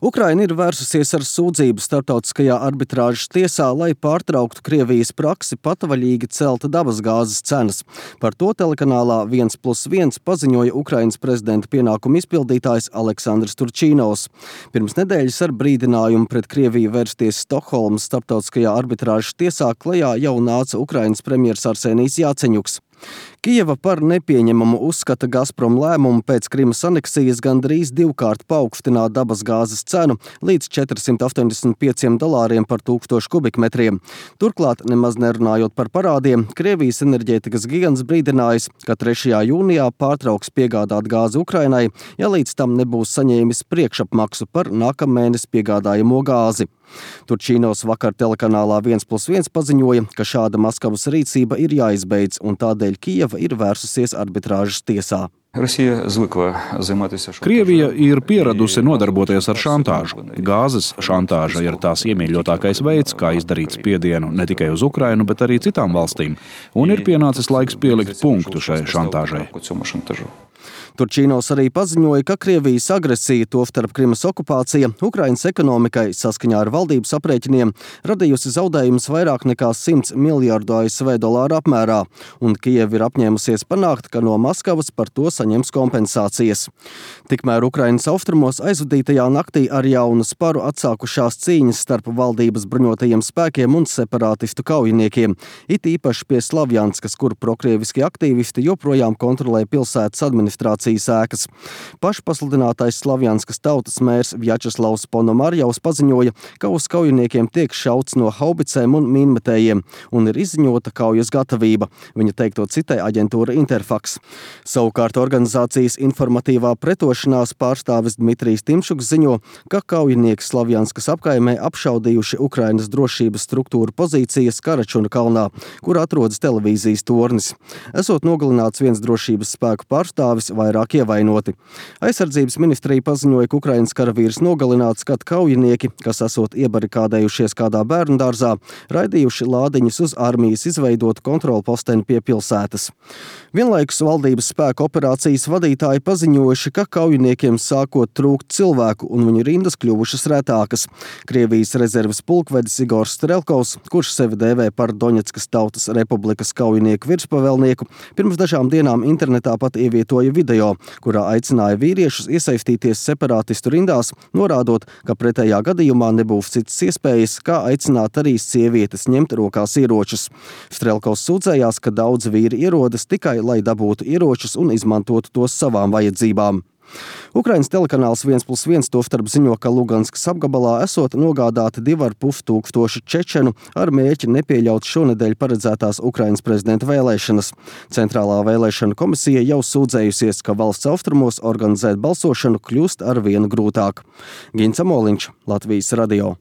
Ukraina ir vērsusies ar sūdzību starptautiskajā arbitrāžas tiesā, lai pārtrauktu Krievijas praksi patvaļīgi celt dabasgāzes cenas. Par to telekanālā 1+1 paziņoja Ukrainas prezidenta pienākumu izpildītājs Aleksandrs Turčīnovs. Pirms nedēļas ar brīdinājumu pret Krieviju vērsties Stokholmas starptautiskajā arbitrāžas tiesā klajā jau nāca Ukrainas premjers Arsenijs Jāceņuks. Kijeva par nepieņemamu uzskata Gazprom lēmumu pēc Krimas aneksijas gandrīz divkārt paaugstināt dabasgāzes cenu līdz $485 par 1000 kubikmetriem. Turklāt, nemaz nerunājot par parādiem, Krievijas enerģētikas gigants brīdinājis, ka 3. jūnijā pārtrauks piegādāt gāzi Ukrainai, ja līdz tam nebūs saņēmis priekšapmaksu par nākamēnes piegādājamo gāzi. Turčīnovs vakar telekanālā 1+1 paziņoja, ka šāda Maskavas rīcība ir jāizbeidz, un tādēļ Kijeva ir vērsusies arbitrāžas tiesā. Krievija ir pieradusi nodarboties ar šantāžu. Gāzes šantāža ir tās iemīļotākais veids, kā izdarīt spiedienu ne tikai uz Ukrainu, bet arī citām valstīm. Un ir pienācis laiks pielikt punktu šai šantāžai. Turčīnovs arī paziņoja, ka Krievijas agresija, tostarp Krimas okupācija, Ukrainas ekonomikai saskaņā ar valdības aprēķiniem radījusi zaudējumus vairāk nekā $100 miljardu ASV apmērā, un Kijeva ir apņēmusies panākt, ka no Maskavas par to saņems kompensācijas. Tikmēr Ukrainas austrumos aizvadītajā naktī ar jaunu sparu atsākušās cīņas starp valdības bruņotajiem spēkiem un separātistu kaujiniekiem, it īpaši pie Slavjanskas, kur prokrieviski aktīvisti joprojām kontrolē pilsētas administrācijas ēkas. Pašpasludinātais Slavjanskas tautas mērs Vjačeslavs Ponomarjavs paziņoja, ka uz kaujiniekiem tiek šauts no haubicēm un mīnmetējiem un ir izziņota kaujas gatavība. Viņa teikto citē aģentūra Interfax. Savukārt organizācijas informatīvā pretošanās pārstāvis Dmitrijs Timšuks ziņo, ka kaujinieki Slavjanskas apkaimē apšaudījuši Ukrainas drošības struktūru pozīcijas Karačuna kalnā, kur atrodas televīzijas tornis. Esot nogalināts viens drošības spēku pārstāvis, vairāk ievainoti. Aizsardzības ministrija paziņoja, ka Ukrainas karavīrs nogalināts, kad kaujinieki, kas esot iebarikādējušies kādā bērndārzā, raidījuši lādiņus uz armijas izveidotu kontrolposteni pie pilsētas. Vienlaikus valdības spēku operācijas vadītāji paziņojuši, ka kaujiniekiem sākot trūkt cilvēku un viņu rindas kļuvušas retākas. Krievijas rezerves pulkvedis Igors Strelkovs, kurš sevi dēvē par Doņetskas tautas republikas kaujinieku virspavēlnieku, pirms dažām dienām internetā pat ievietoja video, kurā aicināja vīriešus iesaistīties separātistu rindās, norādot, ka pretējā gadījumā nebūs citas iespējas, kā aicināt arī sievietes ņemt rokās ieročus. Strelkovs sūdzējās, ka daudz vīri ierodas tikai, lai dabūtu ieročus un izmantotu tos savām vajadzībām. Ukrainas telekanāls 1+1 tostarp ziņo, ka Luganskas apgabalā esot nogādāti 2500 čečenu ar mērķi nepieļaut šonedēļ paredzētās Ukrainas prezidenta vēlēšanas. Centrālā vēlēšana komisija jau sūdzējusies, ka valsts austrumos organizēt balsošanu kļūst arvien grūtāk. Gins Amoliņš, Latvijas radio.